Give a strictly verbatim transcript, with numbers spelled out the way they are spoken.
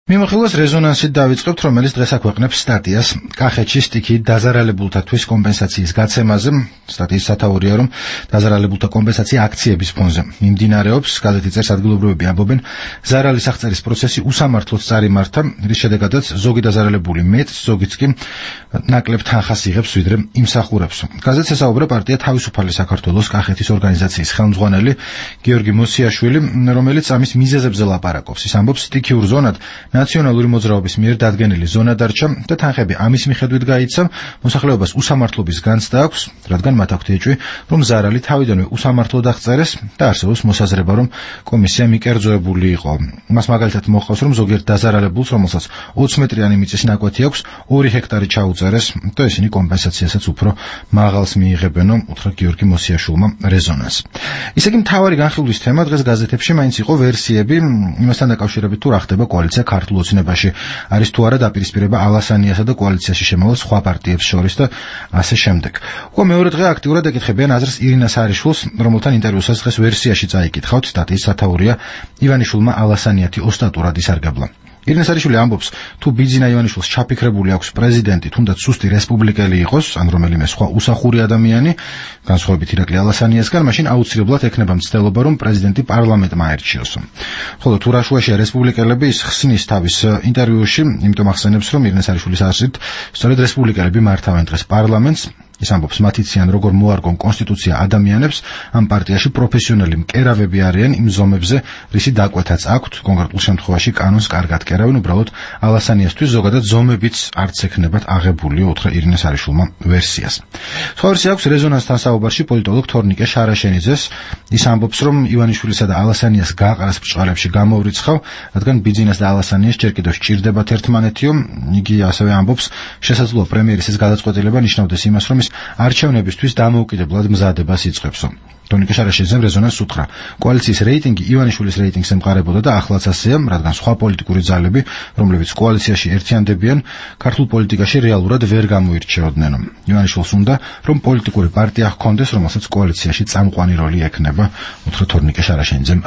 მიმოხილვას რეზონანსით დავიწყებთ, რომელიც დღეს აქვეყნებს სტატიას კახეთში სტიქიით დაზარალებულთათვის კომპენსაციის გაცემაზე. სტატიის სათაურია, რომ დაზარალებულთა კომპენსაცია აქციების ფონზე მიმდინარეობს. გაზეთი წერს, ადგილობრივები ამბობენ, ზარალის აღწერის პროცესი უსამართლოდ წარიმართა, რის შედეგადაც ზოგი დაზარალებული მეტს, ზოგიც კი ნაკლებ თანხას იღებს, ვიდრე იმსახურებს. გაზეთს ესაუბრა პარტია თავისუფალი საქართველოს კახეთის ორგანიზაციის ხელმძღვანელი გიორგი მოსიაშვილი, რომელიც ამის მიზეზებზე ლაპარაკობს. ის ამბობს, სტიქიურ ზონად ნაციონალური მოძრაობის მიერ დადგენილი ზონა დარჩა და თანხები ამის მიხედვით გაიცა, მოსახლეობას უსამართლობის განცდა აქვს, რადგან მათ აქვთ ეჭვი, რომ ზარალი თავიდანვე უსამართლოდ აღწერეს და არსებობს მოსაზრება, რომ კომისია მიკერძოებული იყო. მას მაგალითად მოჰყავს, რომ ზოგიერთ დაზარალებულს, რომელსაც ოცი მეტრიანი მიწის ნაკვეთი აქვს, ორი ჰექტარი ჩაუწერეს და ისინი კომპენსაციასაც უფრო მაღალს მიიღებენო, უთხრა გიორგი მოსიაშვილმა რეზონანსს. ისე კი მთავარი განხილვის თემა დღეს გაზეთებში მაინც იყო ვერსიები იმასთან დაკავშირებით, თუ რა ხდება კოალიცია ქართულ ოცნებაში, არის თუ არა დაპირისპირება ალასანიასა და კოალიციაში შემავალ სხვა პარტიებს შორის და ასე შემდეგ. უკვე მეორე დღე აქტიურად ეკითხებიან აზრს ირინა სარიშვილს, რომელთან ინტერვიუსაც დღეს ვერსიაში წაიკითხავთ. სტატიის სათაურია, ივანიშვილმა ალასანიათი ოსტატურად ისარგებლა. ირინა სარიშვილი ამბობს, თუ ბიძინა ივანიშვილს ჩაფიქრებული აქვს პრეზიდენტი, თუნდაც სუსტი რესპუბლიკელი იყოს, ან რომელიმე სხვა უსახური ადამიანი, განსხვავებით ირაკლი ალასანიასგან, მაშინ აუცილებლად ექნება მცდელობა, რომ პრეზიდენტი პარლამენტმა აერჩიოს. ხოლო თუ რაშუაშია რესპუბლიკელები, ის ხსნის თავის ინტერვიუში, იმიტომ ახსენებს, რომ ირინა სარიშვილის აზრით, სწორედ რესპუბლიკელები მართავენ დღეს პარლამენტს. ის ამბობს, მათ იციან, როგორ მოარგონ კონსტიტუცია ადამიანებს, ამ პარტიაში პროფესიონალი მკერავები არიან იმ ზომებზე, რისი დაკვეთაც აქვთ, კონკრეტულ შემთხვევაში კანონს კარგად კერავენ, უბრალოდ ალასანიასთვის ზოგადად ზომებიც არც ექნებათ აღებულიო, უთხრა ირინა სარიშვილმა ვერსიას. სხვა ვერსია აქვს რეზონანსთან საუბარში პოლიტოლოგ თორნიკე შარაშენიძეს. ის ამბობს, რომ ივანიშვილისა და ალასანიას გაყრას ბრჭყალებში გამოვრიცხავ, რადგან ბიძინას და ალასანიას ჯერ კიდევ სჭირდებათ ერთმანეთიო. იგი ასევე ამბობს, შესაძლოა პრემიერის ეს გადაწყვეტილება ნიშნავდეს იმას, რომ არჩევნებისთვის დამოუკიდებლად მზადებას იწყებსო. თორნიკე შარაშენიძემ რეზონანსს უთხრა, კოალიციის რეიტინგი ივანიშვილის რეიტინგს ემყარებოდა და ახლაც ასეა, რადგან სხვა პოლიტიკური ძალები, რომლებიც კოალიციაში ერთიანდებიან, ქართულ პოლიტიკაში რეალურად ვერ გამოირჩეოდნენ. ივანიშვილს უნდა, რომ პოლიტიკური პარტია ჰქონდეს, რომელსაც კოალიციაში წამყვანი როლი ექნება, უთხრა თორნიკე შარაშენიძემ.